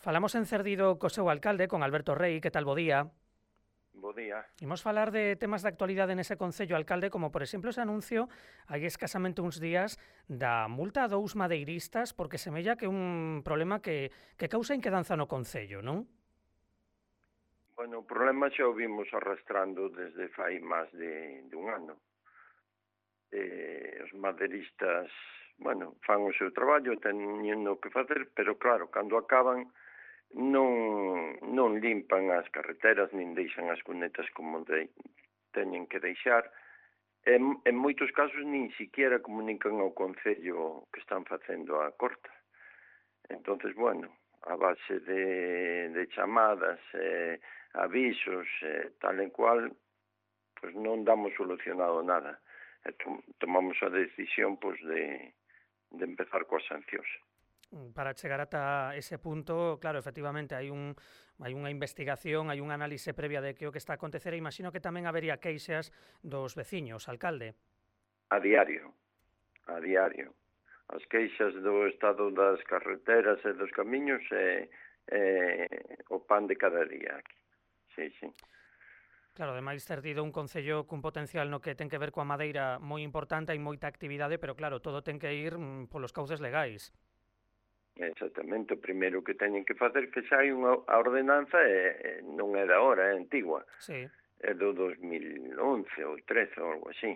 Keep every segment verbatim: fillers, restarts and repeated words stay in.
Falamos en Cerdido co seu alcalde, con Alberto Rei. Que tal, bo día? Bo día. Imos falar de temas de actualidade nese concello, alcalde, como por exemplo ese anuncio hai escasamente uns días da multa a dous madeiristas porque semella que un problema que, que causa inquedanza no concello, non? Bueno, o problema xa o vimos arrastrando desde fai máis de, de un ano. Eh, os madeiristas, bueno, fan o seu traballo, teñen o que facer, pero claro, cando acaban non, non limpan as carreteras, nin deixan as cunetas como de, teñen que deixar. En, en moitos casos nin siquiera comunican ao Concello que están facendo a corta. Entonces, bueno, a base de, de chamadas, eh, avisos, eh, tal e cual, pues non damos solucionado nada. E tom, tomamos a decisión pues, de, de empezar coas sancións. Para chegar ata ese punto, claro, efectivamente, hai un hai unha investigación, hai un análise previa de que o que está a acontecer e imagino que tamén habería queixas dos veciños, alcalde. A diario, a diario. As queixas do estado das carreteras e dos camiños é, é o pan de cada día aquí. Sí, sí. Claro, ademais Cerdido un concello cun potencial no que ten que ver coa madeira moi importante, hai moita actividade, pero claro, todo ten que ir mm, polos cauces legais. Exactamente, o primeiro que teñen que facer que xa hai unha a ordenanza e, e non é da hora, é antigua. Sí. É do dos mil once ou trece ou algo así,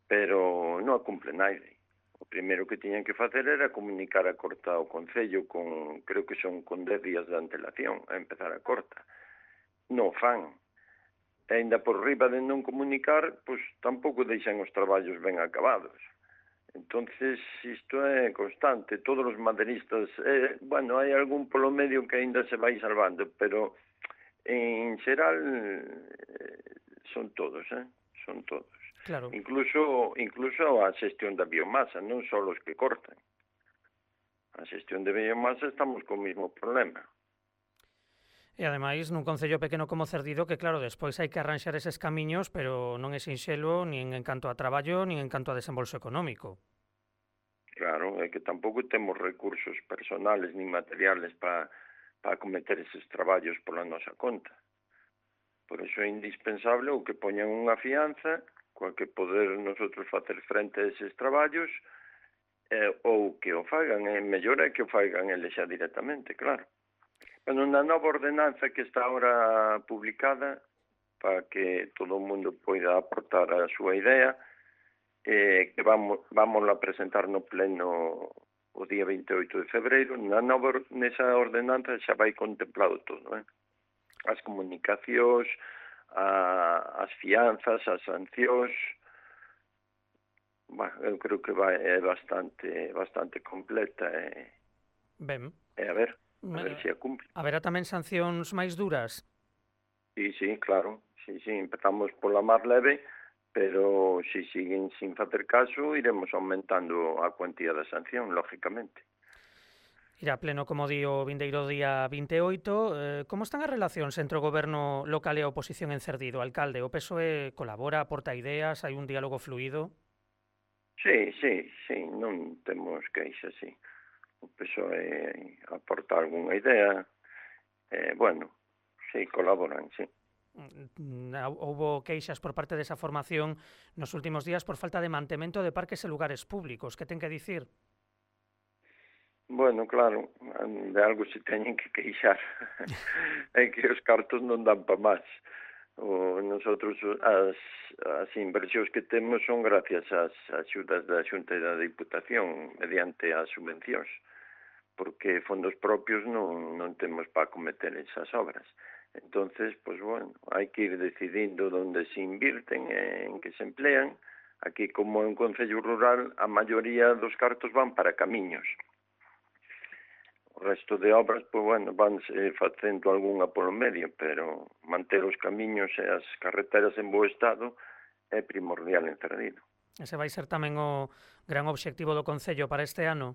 pero non a cumple naide. O primeiro que tiñan que facer era comunicar a corta ao Concello con, creo que son con dez días de antelación a empezar a corta. Non fan. E ainda por riba de non comunicar, pois tampouco deixan os traballos ben acabados. Entonces, isto é constante, todos os madeiristas, eh, bueno, hai algún polo medio que aínda se vai salvando, pero en xeral eh, son todos, eh, son todos. Claro. Incluso incluso a xestión da biomasa, non só os que cortan. A xestión de biomasa estamos co mesmo problema. E ademais nun concello pequeno como Cerdido que claro, despois hai que arranxar eses camiños, pero non é sinxelo nin en canto a traballo, nin en canto a desembolso económico. Claro, é que tampouco temos recursos personales nin materiales para pa acometer eses traballos pola nosa conta. Por iso é indispensable o que poñan unha fianza coa que poder nosotros facer frente a eses traballos eh, ou que o fagan, é mellor é que o fagan eles xa directamente, claro. Bueno, na nova ordenanza que está ahora publicada para que todo o mundo poida aportar a súa idea, eh, que vamos, vamos a presentar no pleno o día vinte e oito de febreiro, na nova, nesa ordenanza xa vai contemplado todo, eh? As comunicacións, a, as fianzas, as sancións, bueno, eu creo que vai, é bastante bastante completa e, Ben. e a ver, a ver se a cumple. Haberá tamén sancións máis duras? Sí, sí, claro, sí, sí, empezamos pola máis leve, pero se si siguen sin facer caso, iremos aumentando a cuantía da sanción, lógicamente. Irá pleno, como di, o vindeiro día vinte e oito. Eh, como están as relacións entre o goberno local e a oposición en Cerdido, alcalde? O P S O E colabora, aporta ideas, hai un diálogo fluido? Sí, sí, sí, non temos queixas, sí. O P S O E aporta algunha idea, eh, bueno, sí, colaboran, sí. Houbo queixas por parte desa formación nos últimos días por falta de mantemento de parques e lugares públicos. Que ten que dicir? Bueno, claro, de algo se teñen que queixar. É que os cartos non dan pa máis. O, nosotros as, as inversións que temos son gracias ás axudas da Xunta e da Diputación mediante as subvencións, porque fondos propios non, non temos para acometer esas obras. Entonces, pues bueno, hai que ir decidindo onde se invirten e en que se emplean. Aquí, como en Concello Rural, a maioría dos cartos van para camiños. O resto de obras, pues bueno, vanse facendo algunha polo medio, pero manter os camiños e as carreteras en bo estado é primordial en Cerdido. Ese vai ser tamén o gran obxectivo do Concello para este ano?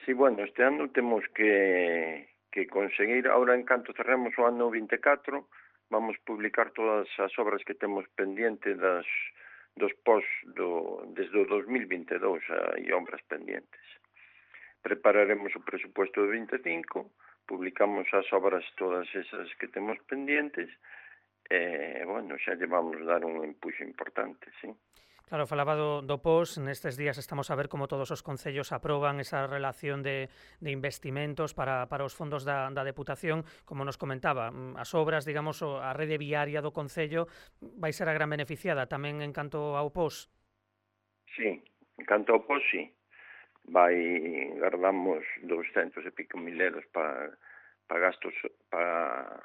Sí, bueno, este ano temos que, que conseguir, ahora en canto cerremos o ano vinte e catro, vamos publicar todas as obras que temos pendiente das, dos pos do, desde o dos mil vinte e dous, hai obras pendientes. prepararemos o presupuesto de vinte e cinco, publicamos as obras todas esas que temos pendientes, e, bueno, xa lle vamos dar un empuxo importante, sí. Claro, falaba do, do pos, nestes días estamos a ver como todos os concellos aproban esa relación de, de investimentos para, para os fondos da, da Deputación, como nos comentaba, as obras, digamos, a rede viaria do concello vai ser a gran beneficiada tamén en canto ao pos. Sí, en canto ao pos, sí. Vai, guardamos douscentos e pico mil euros para pa gastos para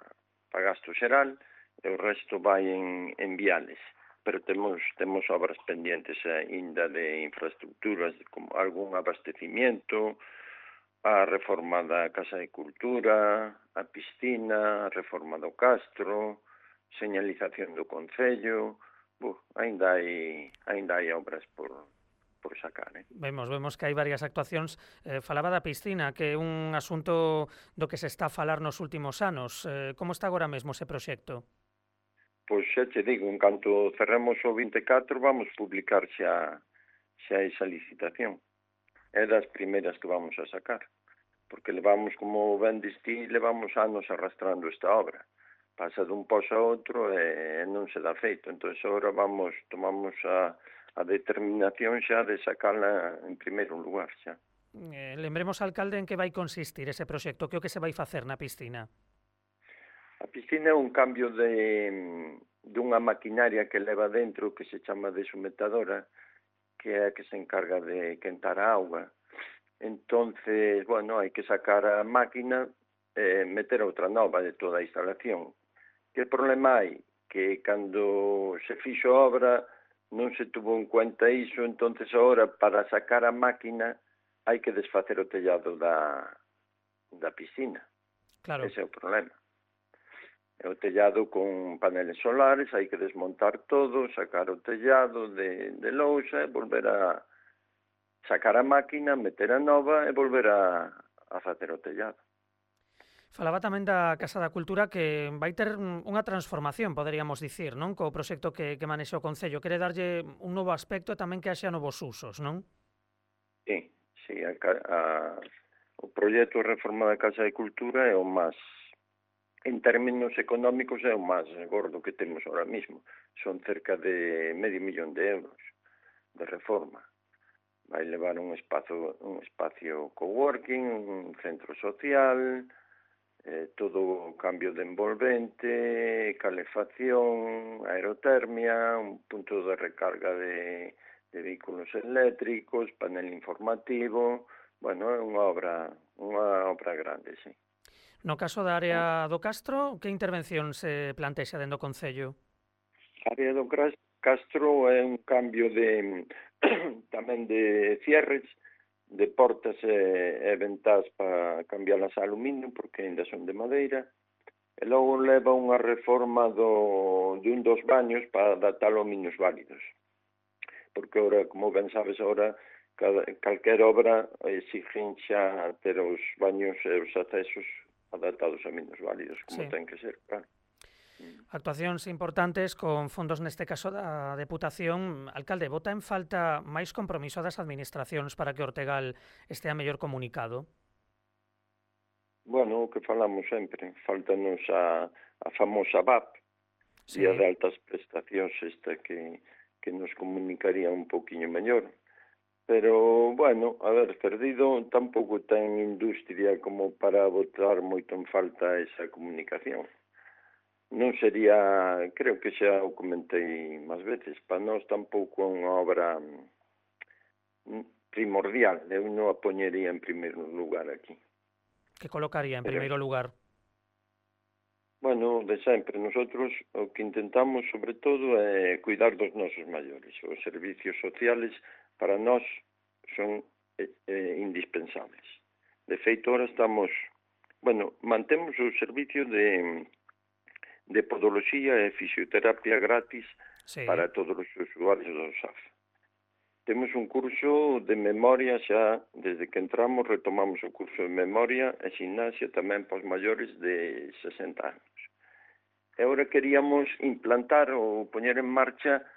pa gasto xeral, e o resto vai en, en viales. Pero temos temos obras pendientes aínda de infraestructuras, como algún abastecimiento, a reforma da Casa de Cultura, a piscina, a reforma do Castro, señalización do Concello. Buf, aínda hai aínda hai obras por por sacar, eh? Vemos, vemos que hai varias actuacións. Eh, falaba da piscina, que é un asunto do que se está a falar nos últimos anos. Eh, como está agora mesmo ese proxecto? Pois xa te digo, en canto cerremos o vinte e catro vamos publicar xa xa esa licitación. É das primeiras que vamos a sacar, porque levamos, como ben distí, levamos anos arrastrando esta obra. Pasa dun pos a outro e non se dá feito. Entón, agora vamos, tomamos a, a determinación xa de sacala en primeiro lugar xa. Eh, lembremos, alcalde, en que vai consistir ese proxecto, que é o que se vai facer na piscina? A piscina é un cambio de dunha maquinaria que leva dentro que se chama desumetadora, que é a que se encarga de quentar a auga. Entonces, bueno, hai que sacar a máquina e meter outra nova de toda a instalación. Que problema hai? Que cando se fixo a obra non se tuvo en cuenta iso, entonces agora para sacar a máquina hai que desfacer o tellado da, da piscina. Claro. Ese é o problema. É o tellado con paneles solares, hai que desmontar todo, sacar o tellado de, de lousa e volver a sacar a máquina, meter a nova e volver a, a facer o tellado. Falaba tamén da Casa da Cultura que vai ter unha transformación, poderíamos dicir, non? Co proxecto que, que manexa o Concello. Quere darlle un novo aspecto e tamén que haxa novos usos, non? Sí, sí. A, a, o proxecto de reforma da Casa de Cultura é o máis, en términos económicos, é o máis gordo que temos ahora mismo. Son cerca de medio millón de euros de reforma. Vai levar un espacio, un espacio coworking, un centro social, eh, todo cambio de envolvente, calefacción, aerotermia, un punto de recarga de, de vehículos eléctricos, panel informativo. Bueno, é unha obra, unha obra grande, sí. No caso da área do Castro, que intervención se plantexa dentro do Concello? A área do Castro é un cambio de tamén de cierres, de portas e, e ventás para cambiarlas a aluminio, porque ainda son de madeira, e logo leva unha reforma do, de un dos baños para adaptalo a minusválidos. Porque ora, como ben sabes, ora cada, calquer obra exigen xa ter os baños e os accesos adaptados a minusválidos, como sí. Ten que ser, claro. Actuacións importantes con fondos neste caso da Deputación. Alcalde, bota en falta máis compromiso das administracións para que Ortegal estea mellor comunicado? Bueno, o que falamos sempre, faltanos a, a famosa V A P, sí. Vía de altas prestacións esta que, que nos comunicaría un poquinho mellor. Pero, bueno, a ver, Cerdido tampouco ten industria como para botar moito en falta esa comunicación. Non sería, creo que xa o comentei máis veces, para nós tampouco é unha obra primordial, eu non a poñería en primeiro lugar aquí. Que colocaría en Pero, primeiro lugar? Bueno, de sempre, nosotros o que intentamos sobre todo é cuidar dos nosos maiores. Os servicios sociales para nós son eh, eh, indispensables. De feito, ahora estamos, bueno, mantemos o servicio de de podoloxía e fisioterapia gratis sí. Para todos os usuarios do S A F. Temos un curso de memoria xa, desde que entramos retomamos o curso de memoria e gimnasia tamén para os maiores de sesenta anos. E agora queríamos implantar ou poñer en marcha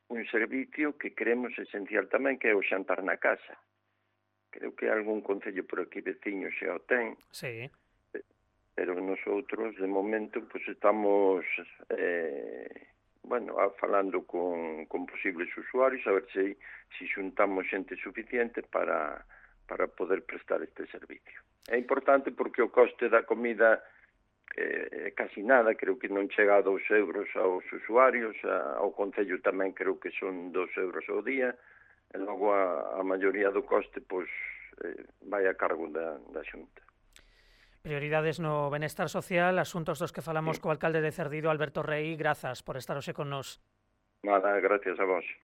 un servicio que creemos esencial tamén, que é o xantar na casa, creo que algún concello por aquí veciño xa o ten, Sí. pero nosotros, de momento, pues estamos, eh, bueno, a, falando con, con posibles usuarios, a ver se si xuntamos xente suficiente para, para poder prestar este servicio. É importante porque o coste da comida eh, casi nada, creo que non chega a dous euros aos usuarios, a, ao concello tamén creo que son dous euros ao día, e logo a, a maioría do coste pois, eh, vai a cargo da, da Xunta. Prioridades no benestar social, asuntos dos que falamos Sí. co alcalde de Cerdido, Alberto Rei, grazas por estar hoxe con nós. Nada, gracias a vos.